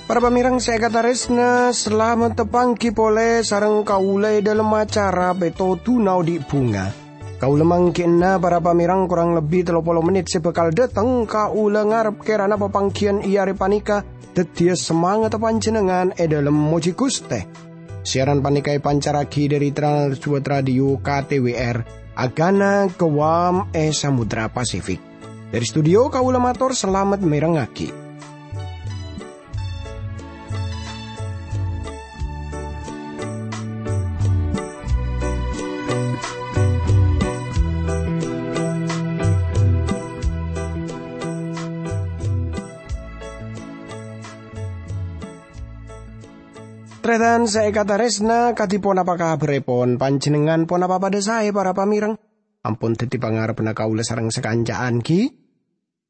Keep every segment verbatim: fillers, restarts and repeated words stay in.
Para pamèrèng sè èkatarèsna, salamet tapangghi polè sareng kaulâ è dhâlem acara Pètodhuna Odi' Bhunga. Kaulâ mangghi'na para pamèrèng korang lebbi tello polo mennit sè bhâkal dhâteng, kaulâ ngarep kèrana papangghiyân è arè panèka dhâddhiyâ samangatta panjhennengngan è dhâlem mojhi Ghustè. Siaran panèka èpancarraghi dhâri Trans World Radio K T W R, Agana Guam è Samudra Pasifik. Dhâri studio kaulâ mator salamet mèrengngaghi. Tarètan sè èkatarèsna, kadhi ponapa kabhârèpon? Panjhennengngan ponapa padhâ saè, para pamèrèng? Ampon dhâddhi pangarebbhânna kaulâ sareng sakanca'an, ghi?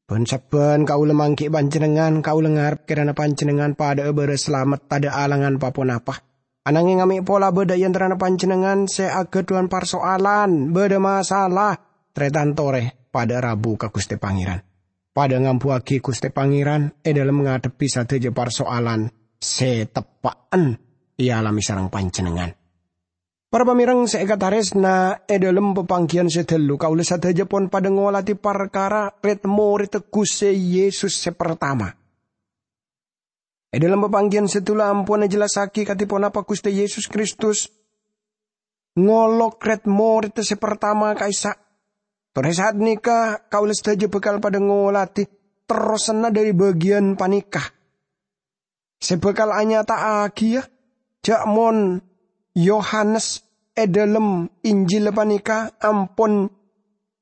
Bân-sabbhân kaulâ mangghi' panjhennengngan, kaulâ ngarep kèrana panjhennengngan padhâ'â bârâs salamet, tadhâ' alangan pa-ponapa. Ananghèng amè' pola bâdâ è antarana panjhennengngan sè aghâdhuwân parsoalan, bâdâ masalah, tarètan torè padhâ'â rabu ka Ghustè Pangèran. Padhâ'â ngambuwâghi Ghustè Pangèran è dhâlem ngadhebbhi sadhâjâ parsoalan sè teppa'en èalamè sareng panjhennengngan. Para pamèrèng sè èkatarèsna, è dhâlem papangghiyân sè dâllu kaulâ sadhâjâ pon padhâ ngolatè parkara rèd-morèdda Ghustè Yesus sè partama. È dhâlem papangghiyân sè dâllu ampon èjellassaghi kadhi ponapa Ghustè Yesus Kristus ngolok rèd-morèdda sè partama ka'issa'. Torè saat nèka kaulâ sadhâjâ bhâkal padhâ ngolatè terrosanna dhâri bâgiyân panèka. Sè bhâkal anyata'aghiyâ ja' mon Yohanes è dhâlem Injil panèka ampon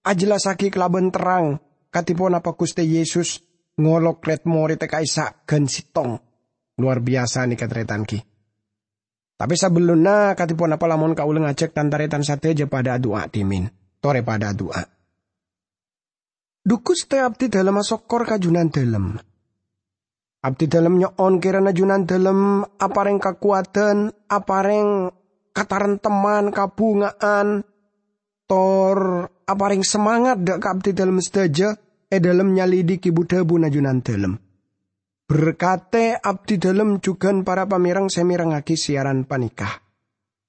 ajellassaghi kalabân terrang kadhi ponapa Ghustè Yesus ngolok rèd-morèdda ka'issa' ghân sèttong. Lowar biyasa nèka, tarètan, ghi. Tapè sabellunna, kadhi ponapa lamon kaulâ ngajhâk tan-tarètan sadhâjâ padhâ adu'a dhimèn? Torè padhâ adu'a. Dhu Ghustè, abdhidhâlem asokkor ka Jhunandhâlem. Abdhidhâlem nyo'on kèrana Jhunandhâlem aparèng kakowadhân, aparèng kataremtemman, kabhunga'an, tor aparèng samangat dhâ' ka abdhidhâlem sadhâjâ è dhâlem nyalidhiki bu-dhâbuna Jhunandhâlem. Berkatè abdhidhâlem jhughân para pamèrèng sè mèrengngaghi siaran panèka.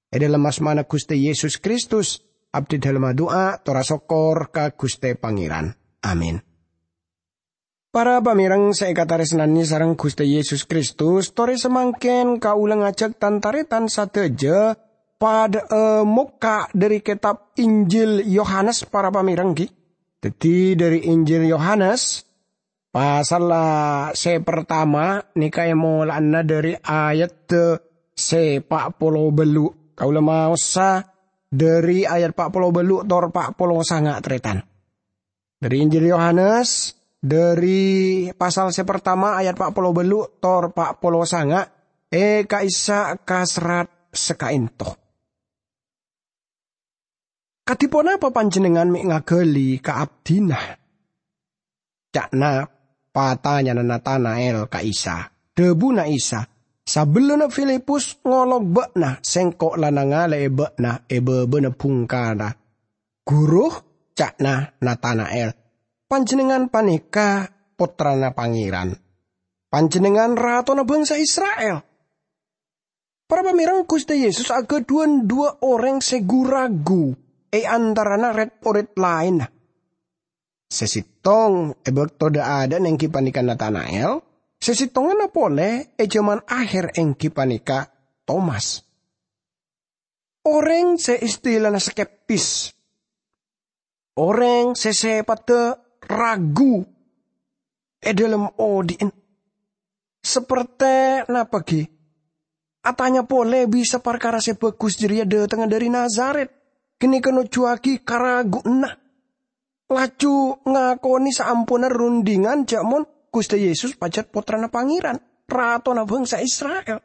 È dhâlem asmana Ghustè Yesus Kristus, abdhidhâlem adu'a tor asokkor ka Ghustè Pangèran. Amin. Para pamèrèng sè èkatarèsnanè sareng Ghustè Yesus Kristus, torè samangkèn kaulâ ngajhâk tan-tarètan sadhâjâ padhâ'â mokka' dhâri kètab Injil Yohanes, para pamèrèng, ghi. Dhâddhi, dhâri Injil Yohanes, pasal sè partama nèka èmola'ana dhâri ayat sè pa' polo bâllu'. Kaulâ maosa dhâri ayat pa' polo bâllu' tor pa' polo sanga', tarètan. Dhâri Injil Yohanes, dhâri pasal sè partama ayat pa' polo bâllu' tor pa' polo sanga', è ka'issa' kaserrat sakaènto. "Kadhi ponapa panjhennengngan mè' ngaghâli ka abdhina?" ca'na patanyana Natana'el ka Isa. Dhâbuna Isa, "Sabellunna Filipus ngolok bâ'na, sèngko' la nangalè'è bâ'na è bâbâna bhungkana." "Ghuru," ca'na Natana'el, "panjhennengngan panèka Pottrana Pangèran. Panjhennengngan Ratona bhângsa Isra'il." Para pamèrèng, Ghustè Yesus aghâdhuwân duwâ' orèng sè gu-ragu è antarana rèd-orèd laènna. Sè sèttong è bâkto dâ'-adâ'na èngghi panèka Natana'el, sè sèttonganna polè è jhâman akhèr èngghi panèka Tomas. Orèng sè istilana skeptis, orèng sè sèpaddhâ ragu è dhâlem odi'na. Sapertè napa ghi? Atanya polè bisa parkara sè bhâghus jârèya dâtengnga dhâri Nazaret, ghânèka nojjhuwâghi karaguanna. Laju ngakonè saamponna rundhingan jhâ' mon Ghustè Yesus pajhât Pottrana Pangèran, Ratona bhângsa Isra'il.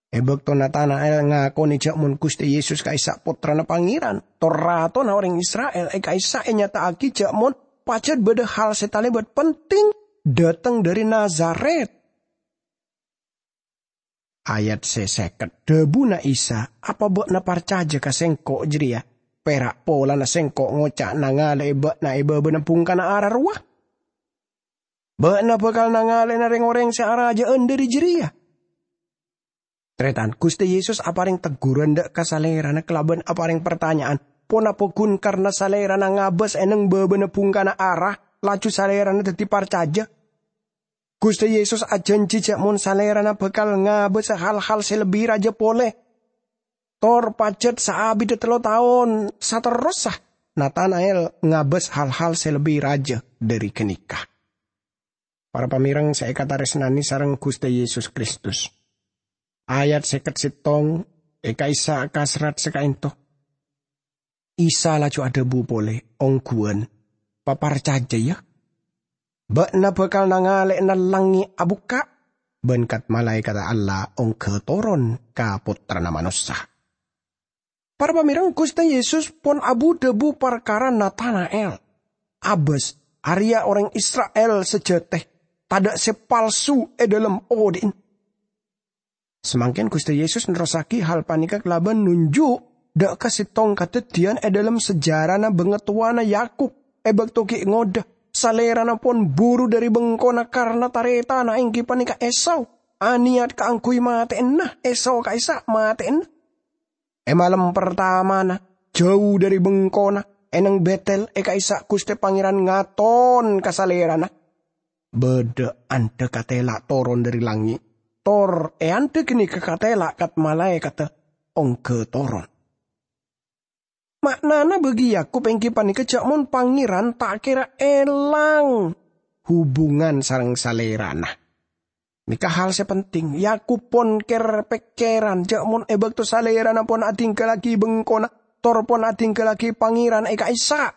È bâkto Natana'el ngakonè jhâ' mon Ghustè Yesus ka'issa' Pottrana Pangèran, tor Ratona orèng Isra'il, è ka'issa' ènyata'aghi jhâ' mon pajhât bâdâ hal sè talèbât penting dâteng dhâri Nazaret. Ayat sè sèket, dhabuna Isa, "Apa ba'na parcajâ ka Sèngko' jârèya pèra' polana Sèngko' ngoca' nangalè'è ba'na è bâbâna bhungkana ara rowa? Ba'na bhâkal nangalè'ana rèng-orèng sè arajâ'ân dhâri jârèya." Tarètan, Ghustè Yesus aparèng tegghuran dâ' ka Salèrana kalabân aparèng partanya'an, ponapa ghun karna Salèrana ngabâs è neng bâbâna bhungkana ara, laju Salèrana dhâddhi parcajâ? Ghustè Yesus ajhânjhi jâ' mon Salèrana bhâkal ngabâsa hal-hal sè lebbi rajâ polè. Tor pajhât saabidda tello taon saterrossa, Natana'el ngabâs hal-hal sè lebbi rajâ dhâri ghânèka. Para pamèreng sè èkatarèsnanè sareng Ghustè Yesus Kristus. Ayat sèket sèttong è ka'issa' ka serrat sè ka'ènto. Isa laju adhâbu polè, "Ongghuwân, paparcajâ, yâ! Bâ'na bhâkal nangalè'ana langngè' abukka', bân kat-malaèkatta Allah ongghâ toron ka Pottrana Manossa." Para pamèreng, Ghustè Yesus pon abu-dhâbu parkara Natana'el. Abâs, arèya orèng Isra'il sajâtè, tadâ' sè palsu è dhâlem odi'na. Samangkèn Ghustè Yesus nerrossaghi hal panèka kalabân nonjhu' dâ' ka sèttong kadhâddhiyân è dhâlem sejarana bangatowana Yakub è bâkto ghi' ngodâ, Salèrana pon buru dhâri bengkona karna tarètanna èngghi panèka Esau, anèyat kaangghuy matè'ana Esau ka'issa' matè'ana. È malem partamana, jâu dhâri bengkona, è neng Bètel è ka'issa' Ghustè Pangèran ngaton ka Salèrana. Bâdâ andhâ katèla' toron dhâri langngè', tor è andhâ ghânèka katèla' kat-malaèkatta ongghâ toron. Ma'nana bagi Yakub èngghi panèka jâ' mon Pangèran ta' kèra èlang hubungan sareng Salèrana. Nèka hal sè penting. Yakub pon kèr-pèkkèran jâ' mon è bâkto Salèrana pon adhinggallaghi bengkona, tor pon adhinggallaghi Pangèran è ka'issa',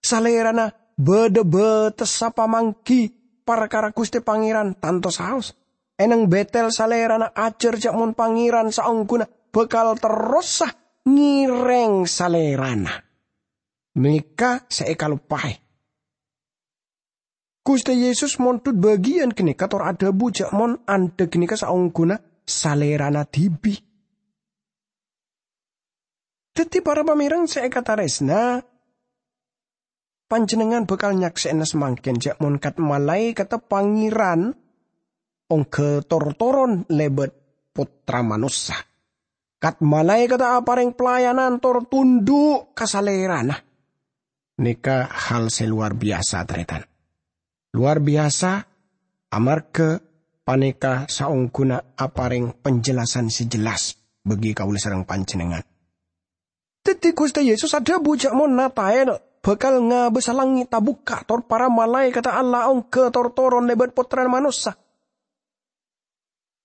Salèrana bâdâ bâtessa pamangghi parkara Ghustè Pangèran, tanto saos. È neng Bètel Salèrana ajhâr jâ' mon Pangèran saongghuna bhâkal terrossa ngèrèng Salèrana. Nèka sè èkaloppaè. Ghustè Yesus mondhut bâgiyân ghânèka tor adhâbu jâ' mon andhâ ghânèka saongghuna Salèrana dhibi'. Dhâddhi, para pamèreng sè èkatarèsna, panjhennengngan bhâkal nyaksè'ana samangkèn jâ' mon kat-malaèkatta Pangèran ongghâ tor-toron lèbât Pottra Manossa. Kat-malaèkatta aparèng pelayanan tor tondhu' ka Salèrana. Nèka hal sè lowar biyasa, tarètan. Lowar biyasa, amarghâ panèka saongghuna aparèng panjhâllasan sè jelas bagi kaulâ sareng panjhennengngan. Dhâddhi, Ghustè Yesus adhâbu jâ' mon Natana'el bhâkal ngabâsa langngè' tabukka' tor para malaèkatta Allah ongghâ tor-toron lèbât Pottrana Manossa.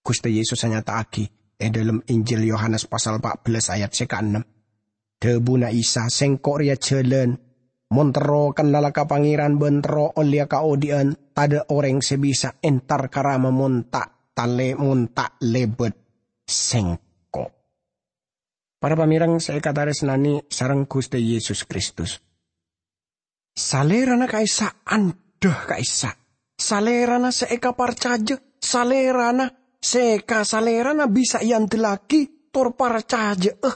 Ghustè Yesus anyata'aghi è dhâlem Injil Yohanes pasal pa' bellâs ayat sè kaennem. Dhâbuna Isa, "Sèngko' rèya jhâlân. Mon terro kennala ka Pangèran bân terro ollèya kaodhi'ân, tadâ' orèng sè bisa entar ka Rama mon ta' talè-, mon ta' lèbât Sèngko'." Para pamèreng sè èkatarèsnanè sareng Ghustè Yesus Kristus. Salèrana ka'issa' andhâ ka'issa'. Salèrana sè èkaparcajâ, Salèrana sè ka Salèrana bisa èandellaghi tor parcajâ'â.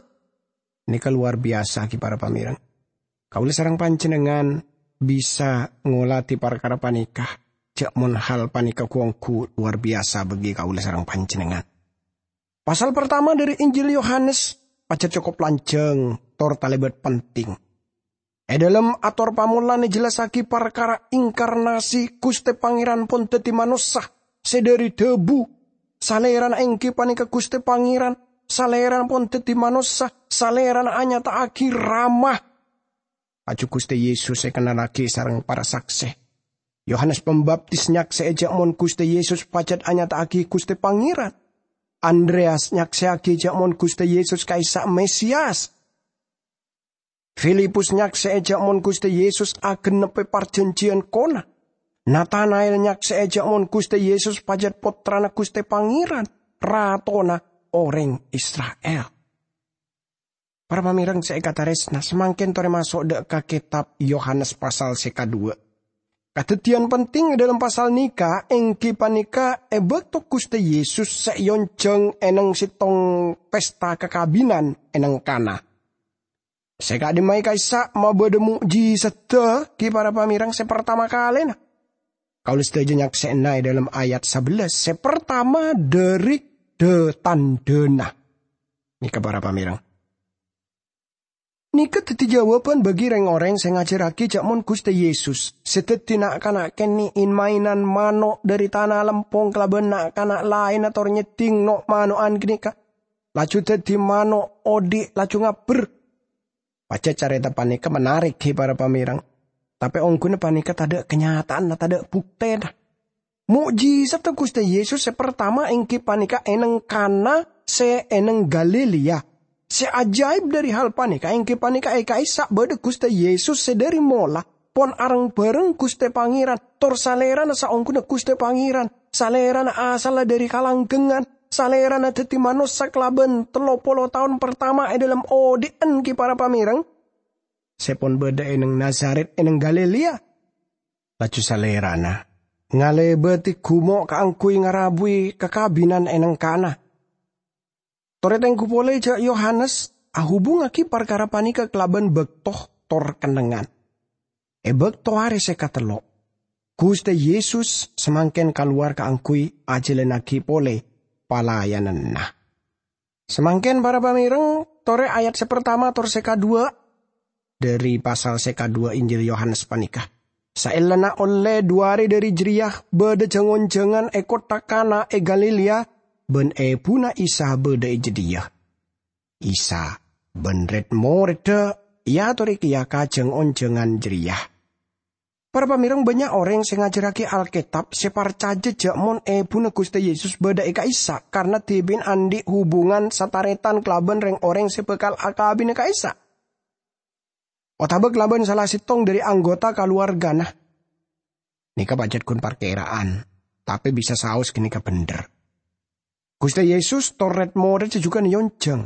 Nèka lowar biyasa, ghi, para pamèreng. Kaulâ sareng panjhennengngan bisa ngolatè parkara panèka, jâ' mon hal panèka ghu-ongghu lowar biyasa bagi kaulâ sareng panjhennengngan. Pasal partama dhâri Injil Yohanes pajhât cokop lanjhâng tor talèbât penting. È dhâlem ator pamolan èjellassaghi parkara inkarnasi Ghustè Pangèran pon dhâddhi manossa sè dhâri dhâbu. Salèrana èngghi panèka Ghustè Pangèran, Salèrana pon dhâddhi manossa, Salèrana anyata'aghi Rama. Laju Ghustè Yesus èkennallaghi sareng para saksè. Yohanes Pambaptis nyaksè'è jâ' mon Ghustè Yesus pajhât anyata'aghi Ghustè Pangèran. Andreyas nyaksè'aghi jâ' mon Ghustè Yesus ka'issa' Mesias. Filipus nyaksè'è jâ' mon Ghustè Yesus agennebbhi parjhânjhiyân kona. Natana'el nyaksè'è jâ' mon Ghustè Yesus pajhât Pottrana Ghustè Pangèran, Ratona orèng Isra'il. Para pamèreng sè èkatarèsna, samangkèn torè maso' dâ' ka kètab Yohanes pasal sè kaduwâ'. Kadhâddhiyân penting è dhâlem pasal nèka èngghi panèka è bâkto Ghustè Yesus sè èonjhâng è neng sèttong pesta kakabinan è neng Kana. Sè ka'dimma'a ka'issa' mabâdâ mo'jizadda ghi' para pamèrèng sè partama kalèna. Kaulâ sadhâjâ nyaksè'ana è dhâlem ayat sabellâs sè partama dhâri dhâ-tandhâna. Nèka para pamèrèng. Nèka dhâddhi jâwâbhân bagi rèng-orèng sè ngajhârraghi jâ' mon Ghustè Yesus sè dhâddhi na'-kana' kènè' in-maènan mano' dhâri tana lempong kalabân na'-kana' laènna tor nyeddhing no'-mano'an ghânèka, laju dhâddhi mano' odhi' laju ngabbher. Pajhât carèta panèka menarik, ghi, para pamèrèng. Tapè ongghuna panèka tadâ' kanyata'anna, tadâ' buktèna. Mo'jizadda Ghustè Yesus sè partama èngghi panèka è neng Kana sè è neng Galilea. Sè ajaib dhâri hal panèka èngghi panèka è ka'issa' bâdâ Ghustè Yesus sè dhâri mola pon areng-bhâreng Ghustè Pangèran, tor Salèrana saongghuna Ghustè Pangèran. Salèrana asalla dhâri kalanggengngan. Salèrana dhâddhi manossa kalabân tello polo taon partama è dhâlem odhi'an, ghi, para pamèrèng. Sè pon bâdâ è neng Nazaret è neng Galilea. Laju Salèrana ngalèbâdhi ghumo' kaangghuy ngarabuwi kakabinan è neng Kana. Torè tengghu polè jâ' Yohanes ahubungngaghi parkara panèka kalabân bâkto tor kennengngan. È bâkto arè sè katello', Ghustè Yesus samangkèn kalowar kaangghuy ajhâlânnaghi polè palayananna. Samangkèn, para pamèrèng, torè ayat sè partama tor sè kadhuwâ' dhâri pasal sè kadhuwâ' Injil Yohanes panèka. Saellana ollè dhu arè dhâri jârèya, bâdâ jâng-onjhângan è kottha Kana è Galilea, bân èbhuna Isa bâdâ è jâdiyâ. Isa bân rèd-morèdda èyatorè kèya ka jâng-onjhângan jârèya. Para pamèrèng, bânnya' orèng sè ngajhârraghi Alkètab sè parcajâ jâ' mon èbhuna Ghustè Yesus bâdâ è ka'issa' karana dhibi'na andi' hubungan satarètan kalabân rèng-orèng sè bhâkal akabina ka'issa', otabâ kalabân sala sèttong dhâri anggota kalowargana. Nèka pajhât ghun parkèra'an, tapè bisa saos ghânèka bhendher. Ghustè Yesus tor rèd-morèdda jhughân èonjhâng.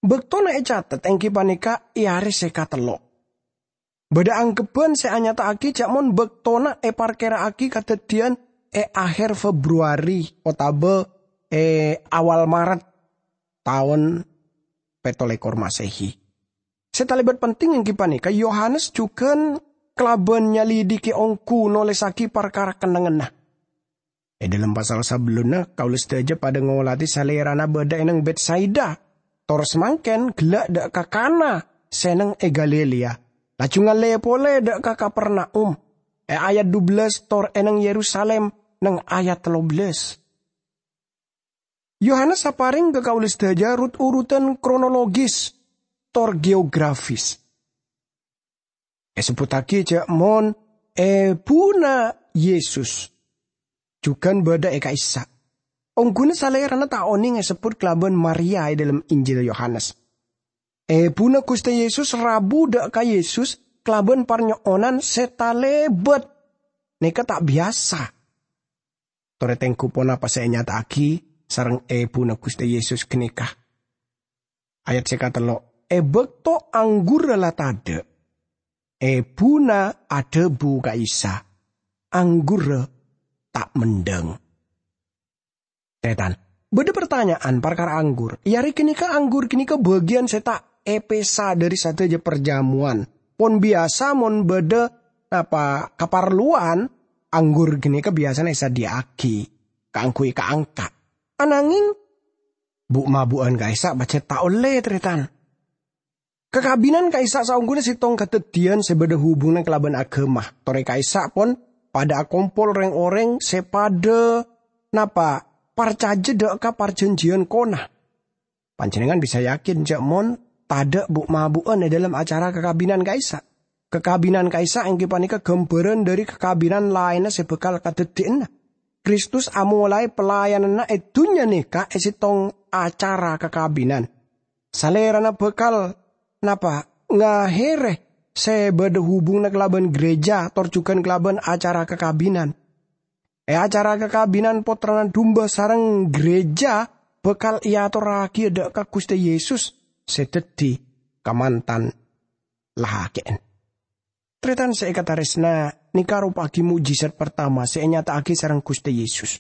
Bâktona ècatet èngghi panèka è arè sè katello'. Bâdâ anggheppan sè anyata'aghi jâ' mon bâktona èparkèra'aghi kadhâddhiyân è ahèr Februari otabâ è awal Maret taon pèttolèkor Masehi. Sè talèbât penting èngghi panèka Yohanes jhughân kalabân nyalidiki ongghu nolèssaghi parkara kennengnganna. È dhâlem pasal sabellunna, kaulâ sadhâjâ padâ ngolatè Salèrana bâdâ è neng Betsaida, tor samangkèn ghellâ' dâ' ka Kana sè neng è Galilea, laju ngallè polè dâ' ka Kapernaum, è ayat dubellâs, tor è neng Yerusalim, neng ayat tello bellâs. Yohanes aparèng ka kaulâ sadhâjâ rut-urutan kronologis tor geografis. Èsebbhuttaghi jâ' mon èbhuna Yesus jhughân bâdâ è ka'issa'. Ongghuna Salèrana ta' onèng èsebbhut kalabân Maria è dhâlem Injil Yohanes. Èbhuna Ghustè Yesus rabu dâ' ka Yesus kalabân parnyo'onan sè talèbât. Nèka ta' biyasa. Torè tengghu ponapa sè ènyata'aghi sareng èbhuna Ghustè Yesus ghânèka. Ayat sè katello', è bâkto anggurra la tadâ', èbhuna adhâbu ka Isa, "Anggurra ta' mendhâng." Tarètan, bâdâ partanya'an parkara anggur. È arè ghânèka anggur ghânèka bâgiyân sè ta' èpèsa dhâri sadhâjâ parjamowan. Pon biyasa mon bâdâ napa kaparlowan, anggur ghânèka biyasana èsadhiyâ'aghi kaangghuy ka-angka'. Ananging, bu'-mabu'ân ka'issa' pajhât ta' ollè, tarètan. Kakabinan ka'issa' saongghuna sèttong kadhâddhiyân sè bâdâ hubunganna kalabân aghâma. Torè ka'issa' pon padâ akompol rèng-orèng sè padâ napa parcajâ dâ' ka parjhânjhiyân Kana. Panjhennengngan bisa yakin jâ' mon tadâ' bu'-mabu'ân è dhâlem acara kakabinan ka'issa'. Kakabinan ka'issa' èngghi panèka ghâmbhârân dhâri kakabinan laènna sè bhâkal kadhâddhiyâna. Kristus amolaè pelayananna è dhunnya nèka è sèttong acara kakabinan. Salèrana bhâkal napa? Ngahèrè sè bâdâ hubunganna kalabân ghârèjâ tor jhughân kalabân acara kakabinan. È acara kakabinan Pottrana Dumba sareng ghârèjâ bhâkal èatorraghi dâ' ka Ghustè Yesus sè dhâddhi kamantan lakè'en. Tarètan sè èkatarèsna, nèka aropa'aghi mo'jizat partama sè ènyata'aghi sareng Ghustè Yesus.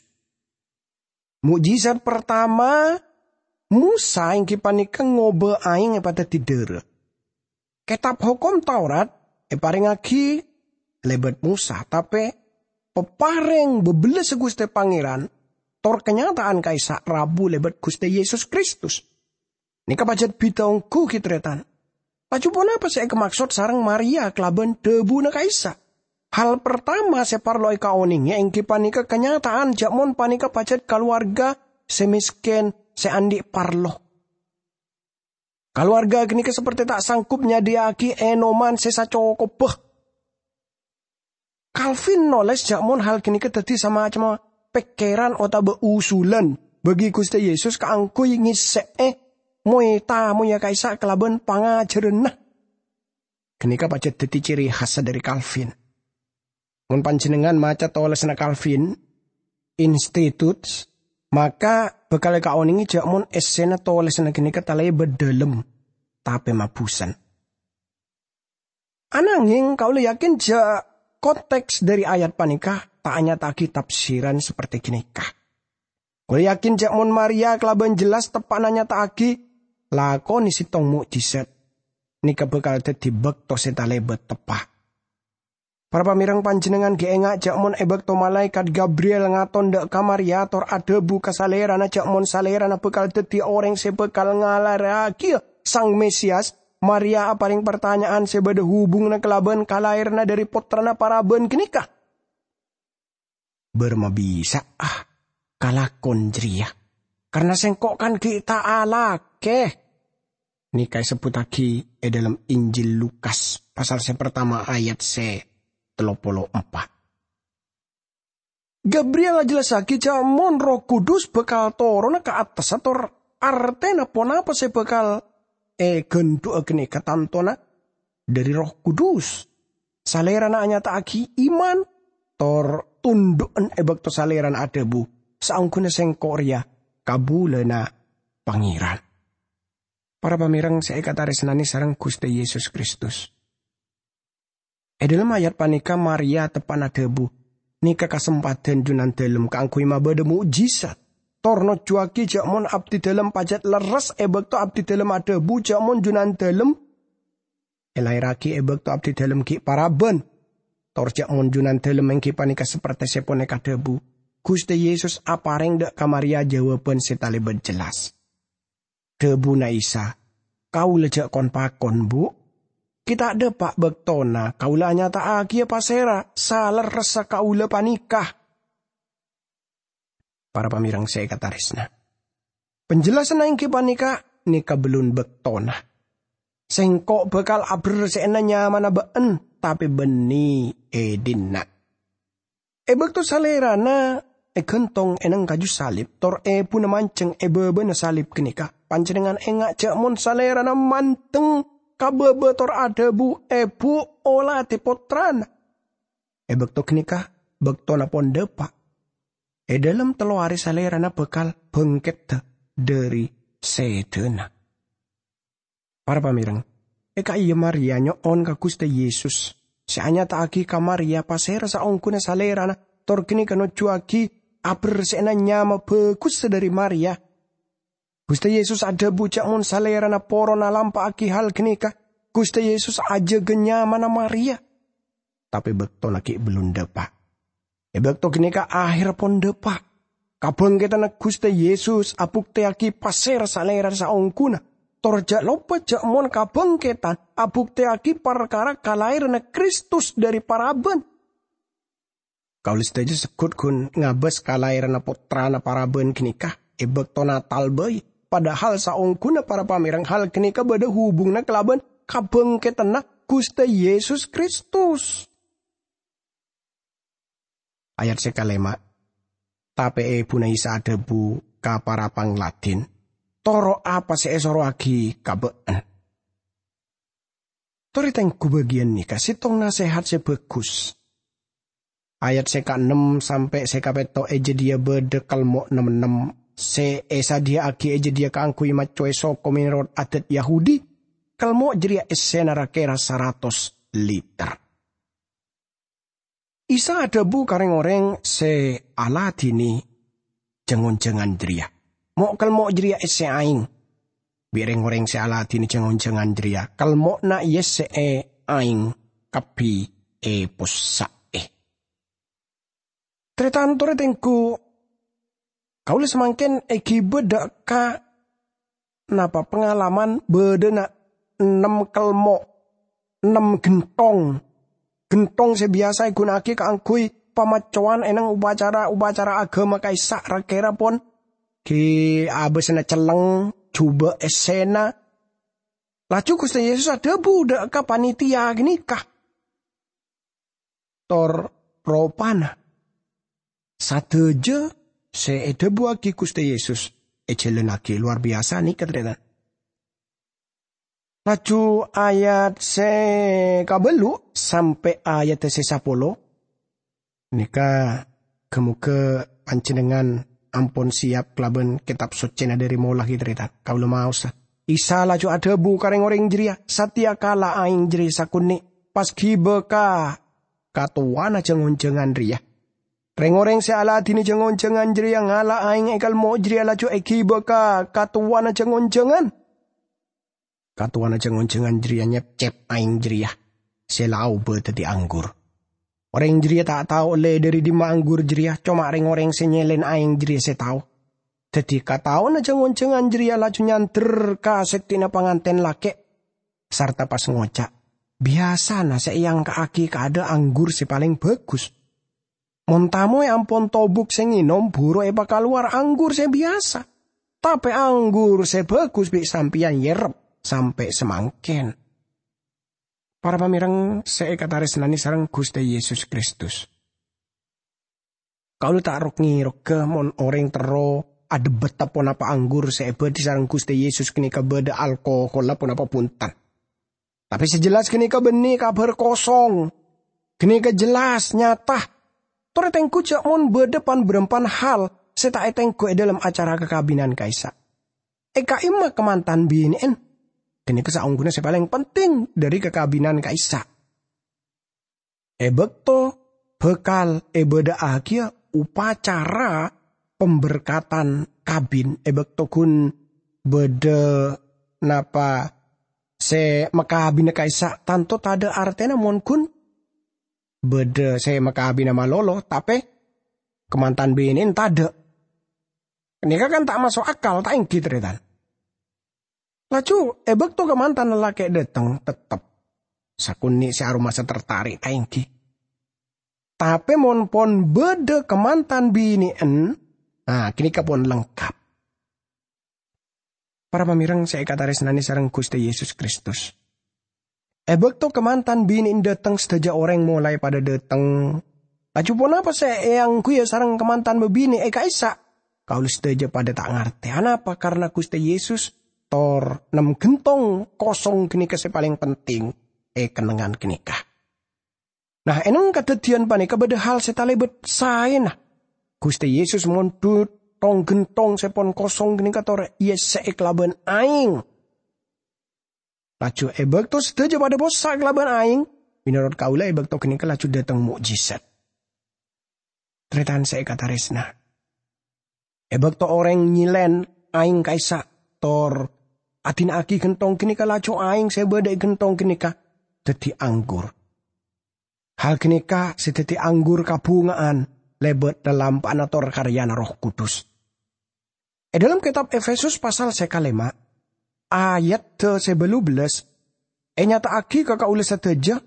Mo'jizat partama Mosa èngghi panèka ngobâ aèng èpadhâddhi dârâ. Kètab Hokom Taurat èparèngngaghi lèbât Mosa, tapè paparèng bâbellâssa Ghustè Pangèran tor kanyata'an ka'issa' rabu lèbât Ghustè Yesus Kristus. Nèka pajhât bhidhâ ongghu, ghi, tarètan. Laju ponapa sè èkamaksod sareng Maria kalabân dhâbuna ka'issa'? Hal partama sè parlo èkaonèngè èngghi panèka kanyata'an jhâ' mon panèka pajhât kalowarga sè mèskèn, sè andi' parlo. Kalowarga ghânèka sapertè ta' sanggup nyadhiyâ'aghi ènoman sè sacokobbhâ. Calvin nolès jhâ' mon hal ghânèka dhâddhi samacemma pèkkèran otabâ usulan bagi Ghustè Yesus kaangghuy ngèssè'è moy-tamoyya ka'issa' kalabân pangajhârânna. Ghânèka pajhât dhâddhi ciri khassa dhâri Calvin. Mon panjhennengngan maca tolèsanna Calvin, Institutes, maka bhâkal èkaonèngè jhâ' mon èssèna tolèsanna ghânèka talèbât dhâlem, tapè mabhusan. Ananghèng kaulâ yakin jhâ' konteks dhâri ayat panèka ta' anyata'aghi tafsiran sapertè ghânèka. Kaulâ yakin jhâ' mon Maria kalabân jelas teppa'na nyata'aghi lakonè sèttong mo'jizat, nèka bhâkal dhâddhi bâkto sè talèbât teppa'. Para pamèreng, panjhennengngan ghi' enga' jhâ' mon è bâkto malaèkat Gabriel ngaton dâ' ka Maria tor adhâbu ka salèrana jhâ' mon salèrana bhâkal dhâddhi orèng sè bhâkal ngalaèrraghiyâ Sang Mesiyas, Maria aparèng partanya'an sè bâdâ hubunganna kalabân kalaèranna dhâri pottrana parabân ghânèka. "Bârâmma bisa'a kalakon jârèya, karna sèngko' kan ghi' ta' alakè." Nèka èsebbhuttaghi è dhâlem Injil Lukas, pasal sè partama ayat sè tello polo empa'. Gabriel ajellassaghi jhâ' mon Erroh Kudus bhâkal toronna ka attassa tor artèna ponapa sè bhâkal èghândhu'â ghânèka tantona dhâri Erroh Kudus. Salèrana anyata'aghi iman tor tondhu'an è bâkto salèrana adhâbu, "Saongghuna sèngko' rèya kabulâna Pangèran." Para pamèreng sè èkatarèsnanè sareng Ghustè Yesus Kristus. È dhâlem ayat panèka Maria teppa'na adhâbu, "Nèka kasempadhân Junandâlem kaangghuy mabâdâ mo'jizat, tor nojjhuwâghi jhâ' mon abdidâlem pajhât lerres è bâkto abdidâlem adhâbu jhâ' mon Junandâlem èlaèrraghi è bâkto abdidâlem ghi' parabân, tor jhâ' mon Junandâlem èngghi panèka sapertè sè pon èkadhâbu." Ghustè Yesus aparèng dâ' ka Maria jâwâbhân sè talèbât jelas. Dhâbuna Isa, "Kaulâ jhâ' kon-pakon, Bu'. Ghi' ta' dâpa' bâktona kaulâ anyata'aghiyâ pasèra salerressa kaulâ panèka." Para pamèreng sè èkatarèsna, panjellasanna èngghi panèka, nèka bellun bâktona. "Sèngko' bhâkal aberse'ana nyamana bâ'en, tapè bânnè è dinna'." È bâkto Salèrana èghântong è neng kaju salib, tor èbhuna manjheng è bâbâna salib ghânèka, panjhennengngan enga' jhâ' mon Salèrana mandeng ka bâbâ tor adhâbu, "Èbhu, oladhi Pottrana." È bâkto ghânèka, bâktona pon dâpa'. È dhâlem tello arè Salèrana bhâkal bhângkèdhâ dhâri sèdhâna. Para pamèreng, è ka'iyâ Maria nyo'on ka Ghustè Yesus, sè anyata'aghi ka Maria pasèra saongghuna Salèrana, tor ghânèka nojjhuwâghi aberse'ana nyama bhâghussa dhâri Maria. Ghustè Yesus adhâbu jhâ' mon Salèrana poron alampa'aghi hal ghânèka, Ghustè Yesus ajâgâ nyamana Maria. Tapè bâktona ghi' bellun dâpa'. È bâkto ghânèka ahèrra pon dâpa'. Kabhângkèdhânna Ghustè Yesus abuktèyaghi pasèra Salèrana saongghuna. Tor jhâ' loppa jhâ' mon kabhângkèdhân abuktèyaghi parkara kalaèranna Kristus dhâri parabân. Kaulâ sadhâjâ segghut ghun ngabâs kalaèranna Pottrana parabân ghânèka è bâkto Natal bhâi, padahal saongghuna para pamèreng hal ghânèka bâdâ hubunganna kalabân kabhângkèdhânna Ghustè Yesus Kristus. Ayat sè kalèma', tapè èbhuna Isa adhâbu ka para pangladhîn, "Toro' apa sè èsorowaghi ka bâ'na." Torè tengghu bâgiyân nèka sèttong nasèhat sè bhâghus. Ayat sè kaennem sampè' sè kapètto' è jâdiyâ bâdâ kelmo' nem-ennem sè èsadhiyâ'aghi è jâdiyâ kaangghuy maccowè soko mènorot adat Yahudi. Kelmo' jârèya èssèna ra-kèra saratos liter. Isa adhâbu ka rèng-orèng sè aladhinè jâng-onjhângan jârèya, "Mo'-kelmo' jârèya èssè aèng." Bi' rèng-orèng sè aladhinè jâng-onjhângan jârèya, kelmo'na èyessè'è aèng kabbhi èpossa'è. Tarètan torè tengghu, kaulâ samangkèn èghibâ dâ' ka napa pangalaman bâdâna ennem kelmo', ennem ghentong. Ghentong sè biyasa èghuna'aghi kaangghuy pamaccowan è neng upacara-upacara aghâma ka'issa' ra-kèra pon ghi' abâsana celleng, jhubâ' èssèna. Laju Ghustè Yesus adhâbu dâ' ka panitia ghânèka, tor ropana sadhâjâ sè èdhâbuwaghi Ghustè Yesus èjhâlânnaghi. Lowar biyasa nèka, tarètan. Laju ayat sè kabâllu' sampè' ayat sè sapolo nèka, ghâ-moghâ panjhennengngan ampon sèyap kalabân Kètab Soccèna dâri mola, ghi, tarètan. Kaulâ maosa. Isa laju adhâbu ka rèng-orèng jârèya, "Satèya kala aèng jârèya sakonè', pas ghibâ ka katowana jâng-onjhângan rèya." Rèng-orèng sè aladhinè jâng-onjhângan jârèya ngala' aèng è kelmo' jârèya laju èghibâ ka katowana jâng-onjhângan. Katowana jâng-onjhângan jârèya nyepcep aèng jârèya sè la aobâ dhâddhi anggur. Orèng jârèya ta' tao ollè dâri dimma anggur jârèya, coma rèng-orèng sè nyèlèn aèng jârèya sè tao. Dhâddhi, kataona jâng-onjhângan jârèya laju nyandher ka sèktèna pangantèn lakè', sarta pas ngoca', "Biyasana sè èangka'aghi kaadâ' anggur sè palèng bhâghus. Mon tamoy ampon tobuk sè ngènom, buru èpakalowar anggur sè biyasa. Tapè anggur sè bhâghus bi' sampèyan èyerrep sampè' samangkèn." Para pamèreng sè èkatarèsnanè sareng Ghustè Yesus Kristus, kaulâ ta' rok-ngeroga mon orèng terro adhebbhâta ponapa anggur sè èbâdhi sareng Ghustè Yesus ghânèka bâdâ alkoholla ponapa bhunten. Tapè sè jelas ghânèka bânnè kabhâr kosong. Ghânèka jelas, nyata. Torè tengghu jhâ' mon bâdâ pan-bârâmpan hal sè ta' ètengghu è dâlem acara kakabinan ka'issa'. È ka'imma kamantan binè'en. Ghânèka saongghuna sè palèng penting dâri kakabinan ka'issa'. È bâkto bhâkal èbâdâ'âghiyâ upacara pemberkatan kabin, è bâkto ghun bâdâ napa sè makabina ka'issa', tanto tadâ' artèna mon ghun bâdâ sè makabina malolo, tapè kamantan binè'en tadâ'. Ghânèka kan ta' maso' akal, ta' ènggi, tarètan? Laju, è bâkto kamantan lalakè' dâteng, tettep sakonè' sè aromasa tertarik, ta' ènggi? Tapè mon pon bâdâ kamantan binè'en, nah, ghânèka pon lengkap. Para pamèreng sè èkatarèsnanè sareng Ghustè Yesus Kristus, è bâkto kamantan binè'en dâteng, sadhâjâ orèng molaè padâ dâteng. Laju ponapa sè èangghuya sareng kamantan bâbinè' è ka'issa'? Kaulâ sadhâjâ padâ ta' ngartè anapa karna Ghustè Yesus tor nem ghentong kosong ghânèka sè palèng penting è kennengngan ghânèka. Nah, è neng kadhâddhiyân panèka bâdâ hal sè talèbât saèna. Ghustè Yesus mondhut tong-ghentong sè pon kosong ghânèka tor èyessè'è kalabân aèng. Laju è bâkto sadhâjâ padâ possa' kalabân aèng, mènorot kaulâ è bâkto ghânèka laju dâteng mo'jizat. Tarètan sè èkatarèsna, è bâkto orèng nyèlèn aèng ka'issa' tor adina'aghi ghentong ghânèka, laju aèng sè bâdâ è ghentong ghânèka dhâddhi anggur. Hal ghânèka sè dhâddhi anggur kabhunga'an lèbât lalampa'anna tor karyana Erroh Kudus. È dâlem kètab Efesus pasal sè kalèma', ayat sè bâllu bellâs, ènyata'aghi ka kaulâ sadhâjâ,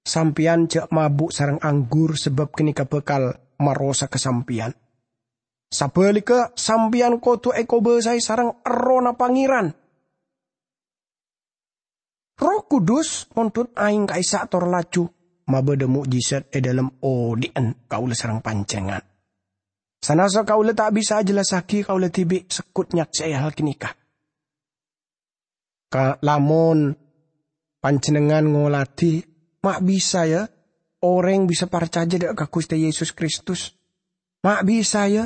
"Sampèyan jhâ' mabu' sareng anggur, sabâb ghânèka bhâkal marosaghâ sampèyan. Sabhâligghâ, sampèyan kodhu èkobâsaè sareng Errohna Pangèran." Erroh Kudus mondhut aèng ka'issa' tor laju mabâdâ mo'jizat è dâlem odhi'en kaulâ sareng panjhennengngan. Sanasa kaulâ ta' bisa ajhellassaghi, kaulâ dhibi' segghut nyaksè'è hal ghânèka. Ka-, lamon panjhennengngan ngoladhi, ma' bisa, ya, orèng bisa parcajâ dâ' ka Ghustè Yesus Kristus. Ma' bisa, ya.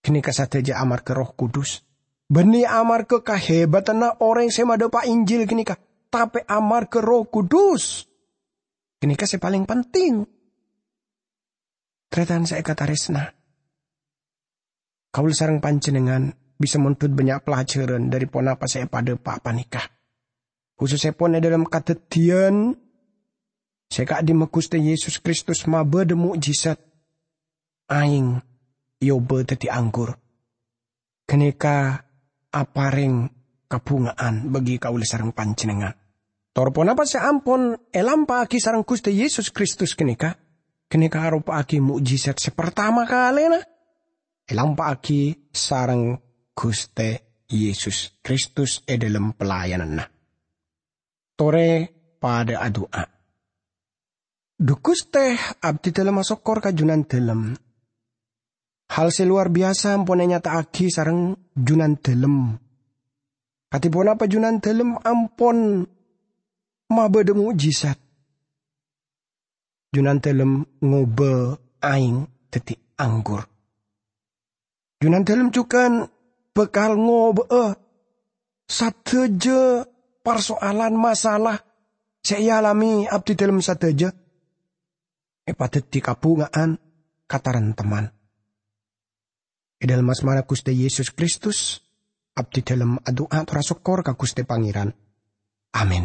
Ghânèka sadhâjâ amarghâ Erroh Kudus. Bânnè amarghâ kahèbâdhânna orèng sè madhâpa' Injil ghânèka, tapè amarghâ Erroh Kudus. Ghânèka sè palèng penting. Tarètan sè èkatarèsna, kaulâ sareng panjhennengngan bisa mondhut bânnya' pelajaran dhâri ponapa sè èpadhâpa' panèka, khusussèpon è dhâlem kadhâddhiyân sè ka'dimma Ghustè Yesus Kristus mabâdâ mo'jizat aèng èobâ dhâddhi anggur. Ghânèka aparèng kabhungaan bagi kaulâ sareng panjhennengngan. Tor ponapa sè ampon èlampa'aghi sareng Ghustè Yesus Kristus ghânèka? Ghânèka aropa'aghi mo'jizat sè partama kalèna èlampa'aghi sareng Ghustè Yesus Kristus è dhâlem pelayananna. Torè padâ adu'a. Dhu Ghustè, abdhi dhâlem asokkor ka Junandhâlem. Hal sè lowar biyasa ampon ènyata'aghi sareng Junandhâlem. Kadhi ponapa Junandhâlem ampon mabâdâ mo'jizat? Junandhâlem ngobâ aèng dhâddhi anggur. Junandhâlem jhughân bhâkal ngobâ'â sadhâjâ parsoalan masalah sè èalamè abdhi dhâlem sadhâjâ èpadhâddhi kabhungaan ka taremtemman. È dhâlem asmana Ghustè Yesus Kristus, abdhi dhâlem adu'a tor asokkor ka Ghustè Pangèran. Amin.